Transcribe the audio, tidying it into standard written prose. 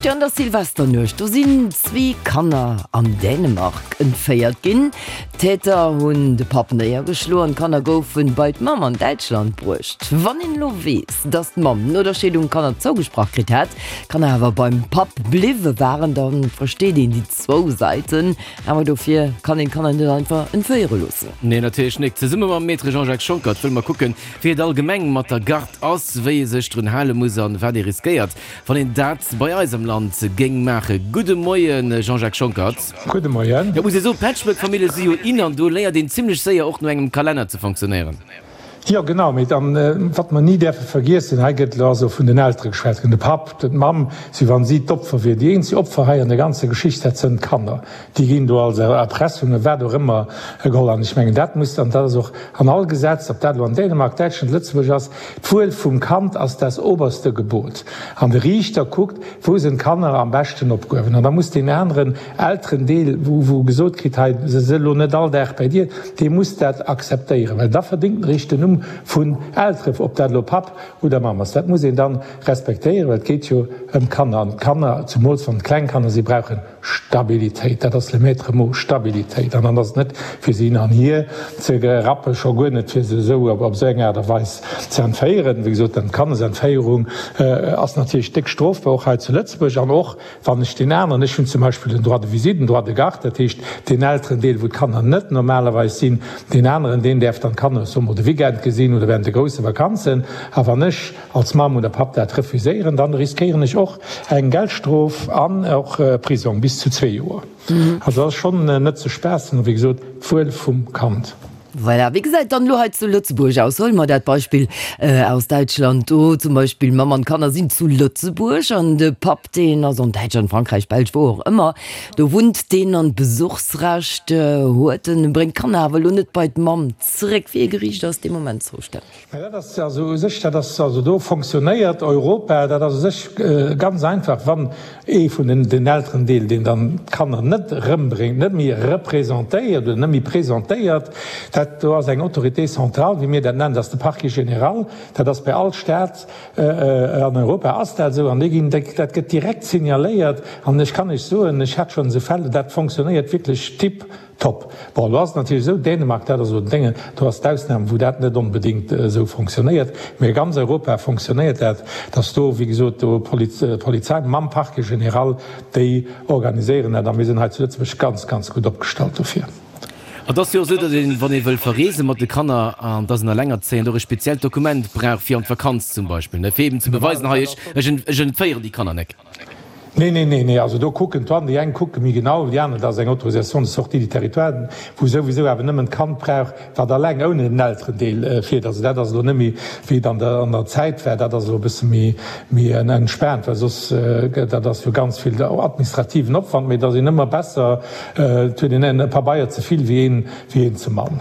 An der Silvesternuecht, do sinn zwee Kanner an Dänemark entféiert ginn. D'Täter hunn de Papp néiergeschloen an d'Kanner goufe bei d'Mamm an Däitschland bruecht. Wann een elo weess, datt d'Mamm no der Scheedung d'Kanner zougesprach kritt hat, d'Kanner awer beim Papp bliwwe waren, da versteet een déi zwou Säiten. Awer dofir kann een d'Kanner net einfach entféiere loossen. Nee, natierlech nik. Zesumme mam Maître Jean-Jacques Schonckert wëlle mer kucken, wéi et allgemeng mat der Garde ass, wéi ee sech drun hale muss an wat ee riskéiert. Wann een dat bei eis am Land géing maachen. Gudde Moien, Jean-Jacques Schonckert. Gudde Moien. Jo, muss ee soen, Patchwork-Famillje si jo in an do léiert een zimlech séier och no engem Kalenner ze fonctionnéieren. Jo, genau. Mee dann, wat mer ni däerfe vergiessen, hei gëtt elo also vun den Eltere geschwat ginn, de Papp, d'Mamm, wéi wann si d'Opfer wier. Déi eenzeg Opfer hei an der ganzer Geschicht, dat sënn d'Kanner. Déi ginn do als Erpressung a wat och ëmmer geholl. An ech mengen, dat muss, an dat ass och an all Gesetz, ob dat elo an Dänemark, Däitschland, Lëtzebuerg ass, D'Wuel vum Kand ass das oberste Gebot. An de Riichter kuckt, wou sinn d'Kanner am beschten opgehuewen. An da muss deen aneren Elterendeel, wou wou gesot kritt, hei, se si elo net all Dag bei dir, dee muss dat akzeptéieren, well da verdéngt en eréischt den Numm vun Eltere, ob dat elo Papp oder Mamm ass. Dat muss een dann respektéieren, well et geet jo ëm d'Kanner. An d'Kanner, zumools wann et kleng Kanner sinn, brauchen Stabilitéit, dat ass le maître mot, Stabilitéit. An dann ass et net fir se hin an hier ze rappen, scho guer net fir se esou op esou eng Aart a Weis ze entféieren. Wéi gesot, dann d'Kandesentféierung ass natierlech déck strofbar, och hei zu Lëtzebuerg. An och wann ech deen aneren, ech hunn zum Beispill den Droit de visite, den Droit de garde, dat heescht deen Elterendeel, wou d'Kanner net normalerweis sinn, deen aneren, deen däerf dann d'Kanner, soe mer, de Weekend gesinn oder während de grousse Vakanzen. A wann ech als Mamm oder Papp dat refuséieren, dann riskéieren ech och eng Geldstrof an och Prisong bis zu zwee Joer. Also dat ass schonn net ze spaassen a wéi gesot, d'Wuel vum Kand. Voilà, wéi gesäit dann elo hei zu Lëtzebuerg aus? Huele mer dat Beispill aus Däitschland do zum Beispill, Mamm an d'Kanner sinn zu Lëtzebuerg an de Papp deen ass an Däitschland, Frankräich, Belsch, wou och ëmmer, do wunnt deen an d'Besuchsrecht huet en, bréngt d'Kanner awer elo net bei d'Mamm zeréck. Wéi ee Geriicht ass dee Moment zoustänneg? Mä dat ass also u sech, dat ass also do fonctionnéiert Europa, dat ass u sech ganz einfach, wann ee vun den, den Elterendeel, deen dann d'Kanner net erëmbréngt, net méi representéiert oder net méi presentéiert, dat do ass eng Autorité centrale, wéi mir dat nennen, dat ass de Parquet général, dat ass bei all Stat an Europa ass dat esou, an déi ginn, dat gëtt direkt signaléiert an ech kann Iech soen, ech hat schonn esou Fäll, dat fonctionnéiert wierklech tip Top. Bon, elo ass et natierlech esou, Dänemark, dat ass elo den Déngen, do ass d'Ausnam, wou dat net onbedéngt esou fonctionnéiert, mee a ganz Europa fonctionnéiert dat, dass do, wéi gesot, do d'Polizei mam Parquet général, déi organiséieren dat a mir sinn hei zu Lëtzebuerg ganz, ganz gutt opgestallt dofir. Et ass jo och esou, datt een, wann ee wëll verreese mat de Kanner, an et ass en Elengerzéiend, och e speziellt Dokument brauch fir an d'Vakanz zum Beispill, ne, fir eben ze beweisen, hei, ech, ech entféieren déi Kanner nek. Nee, nee, nee, nee, also do kucken d'Douane, déi eng kucke méi genau wéi déi aner, dat ass eng Autorisation de sortie du territoire, wou souwisou awer nëmmen d'Kand brauch, wat alleng ouni den Elterendeel fiert. Also dat ass elo net méi wéi et an der an der Zäit war, dat ass elo e bësse méi méi entspaant, well soss, dat ass jo ganz vill administrativen Opwand, mee et ass een ëmmer besser, et huet een e Pabeier ze vill wéi een wéi een ze mann.